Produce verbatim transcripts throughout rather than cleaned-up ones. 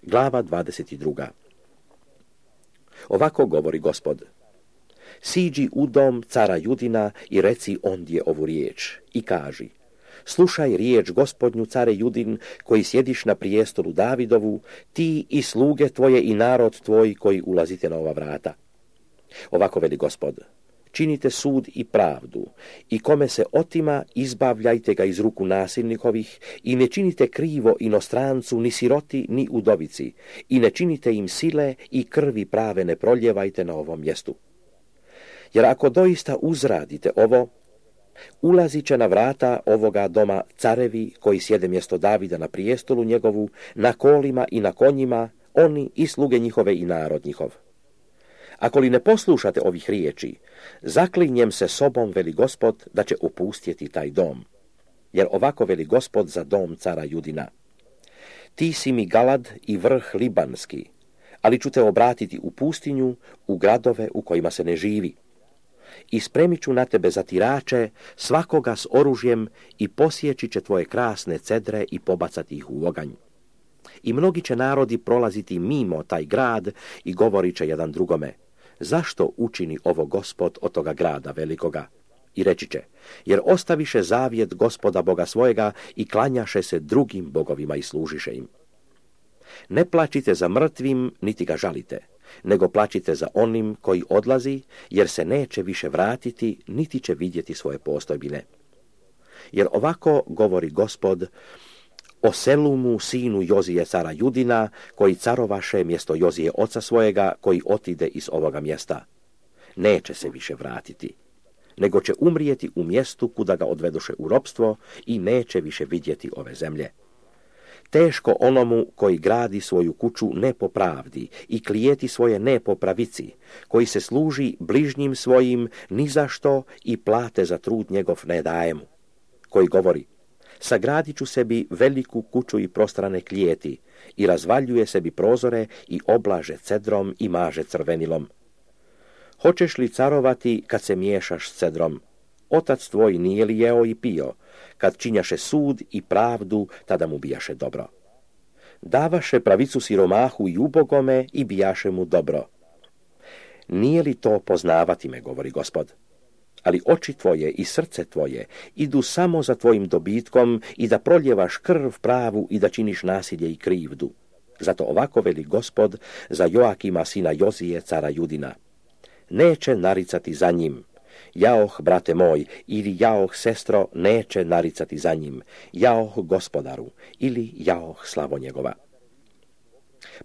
Glava dvadeset druga. Ovako govori Gospod. Siđi u dom cara Judina i reci ondje ovu riječ i kaži: slušaj riječ Gospodnju, care Judin, koji sjediš na prijestolu Davidovu, ti i sluge tvoje i narod tvoj koji ulazite na ova vrata. Ovako veli Gospod: činite sud i pravdu, i kome se otima, izbavljajte ga iz ruku nasilnikovih, i ne činite krivo inostrancu, ni siroti, ni udovici, i ne činite im sile i krvi prave ne proljevajte na ovom mjestu. Jer ako doista uzradite ovo, ulazit će na vrata ovoga doma carevi koji sjede mjesto Davida na prijestolu njegovu, na kolima i na konjima, oni i sluge njihove i narod njihov. Ako li ne poslušate ovih riječi, zaklinjem se sobom, veli Gospod, da će opustjeti taj dom. Jer ovako veli Gospod za dom cara Judina: ti si mi Galad i vrh libanski, ali ću te obratiti u pustinju, u gradove u kojima se ne živi. I spremit ću na tebe zatirače, svakoga s oružjem, i posjeći će tvoje krasne cedre i pobacati ih u oganj. I mnogi će narodi prolaziti mimo taj grad i govorit će jedan drugome: zašto učini ovo Gospod od toga grada velikoga? I reći će: jer ostaviše zavjet Gospoda Boga svojega i klanjaše se drugim bogovima i služiše im. Ne plačite za mrtvim, niti ga žalite, nego plačite za onim koji odlazi, jer se neće više vratiti, niti će vidjeti svoje postojbine. Jer ovako govori Gospod o Selumu, sinu Jozije cara Judina, koji carovaše mjesto Jozije oca svojega, koji otide iz ovoga mjesta. Neće se više vratiti, nego će umrijeti u mjestu kuda ga odvedoše u ropstvo i neće više vidjeti ove zemlje. Teško onomu koji gradi svoju kuću ne po pravdi i klijeti svoje ne po pravici, koji se služi bližnjim svojim ni za što i plate za trud njegov ne daje mu, koji govori: sagradit ću sebi veliku kuću i prostrane klijeti, i razvaljuje sebi prozore i oblaže cedrom i maže crvenilom. Hoćeš li carovati kad se miješaš s cedrom? Otac tvoj nije li jeo i pio? Kad činjaše sud i pravdu, tada mu bijaše dobro. Davaše pravicu siromahu i ubogome i bijaše mu dobro. Nije li to poznavati me, govori Gospod? Ali oči tvoje i srce tvoje idu samo za tvojim dobitkom i da proljevaš krv pravu i da činiš nasilje i krivdu. Zato ovako veli Gospod za Joakima sina Jozije cara Judina: neće naricati za njim. Jaoh, brate moj, ili jaoh, sestro, neće naricati za njim. Jaoh, gospodaru, ili jaoh, slavo njegova.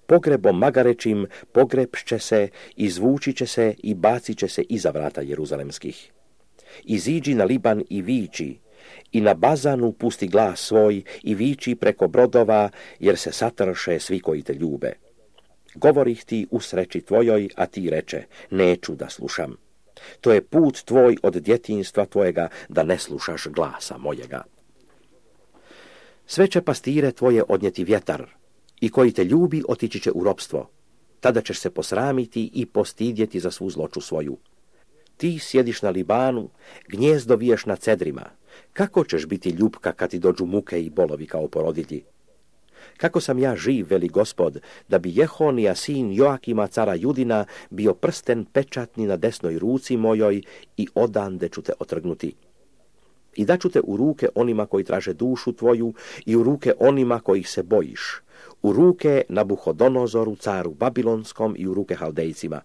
Pogrebom magarećim pogrebšće se, izvući će se i bacit će se iza vrata jeruzalemskih. Iziđi na Liban i viči, i na Bazanu pusti glas svoj i viči preko brodova, jer se satrše svi koji te ljube. Govorih ti u sreći tvojoj, a ti reče: neću da slušam. To je put tvoj od djetinjstva tvojega, da ne slušaš glasa mojega. Sve će pastire tvoje odnijeti vjetar, i koji te ljubi otići će u ropstvo. Tada ćeš se posramiti i postidjeti za svu zloču svoju. Ti sjediš na Libanu, gnjezdo viješ na cedrima. Kako ćeš biti ljubka kad ti dođu muke i bolovi kao porodilji? Kako sam ja živ, veli Gospod, da bi Jehonija, sin Joakima, cara Judina, bio prsten pečatni na desnoj ruci mojoj i odande ću te otrgnuti. I daću te u ruke onima koji traže dušu tvoju i u ruke onima kojih se bojiš, u ruke Nabuhodonozoru, caru Babilonskom i u ruke Haldejcima.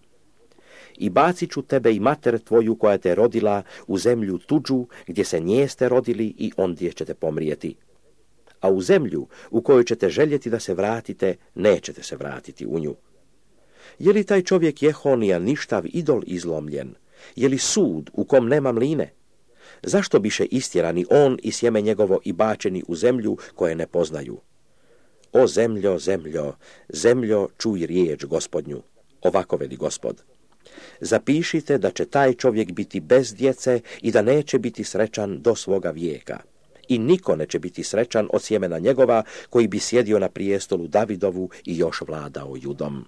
I bacit ću tebe i mater tvoju koja te rodila u zemlju tuđu gdje se njeste rodili i ondje ćete pomrijeti. A u zemlju u kojoj ćete željeti da se vratite, nećete se vratiti u nju. Je li taj čovjek Jehonija ništav idol izlomljen? Je li sud u kom nema mline? Zašto biše istjerani on i sjeme njegovo i bačeni u zemlju koje ne poznaju? O zemljo, zemljo, zemljo, čuj riječ Gospodnju. Ovako veli Gospod: zapišite da će taj čovjek biti bez djece i da neće biti srećan do svoga vijeka. I niko neće biti srećan od sjemena njegova koji bi sjedio na prijestolu Davidovu i još vladao Judom.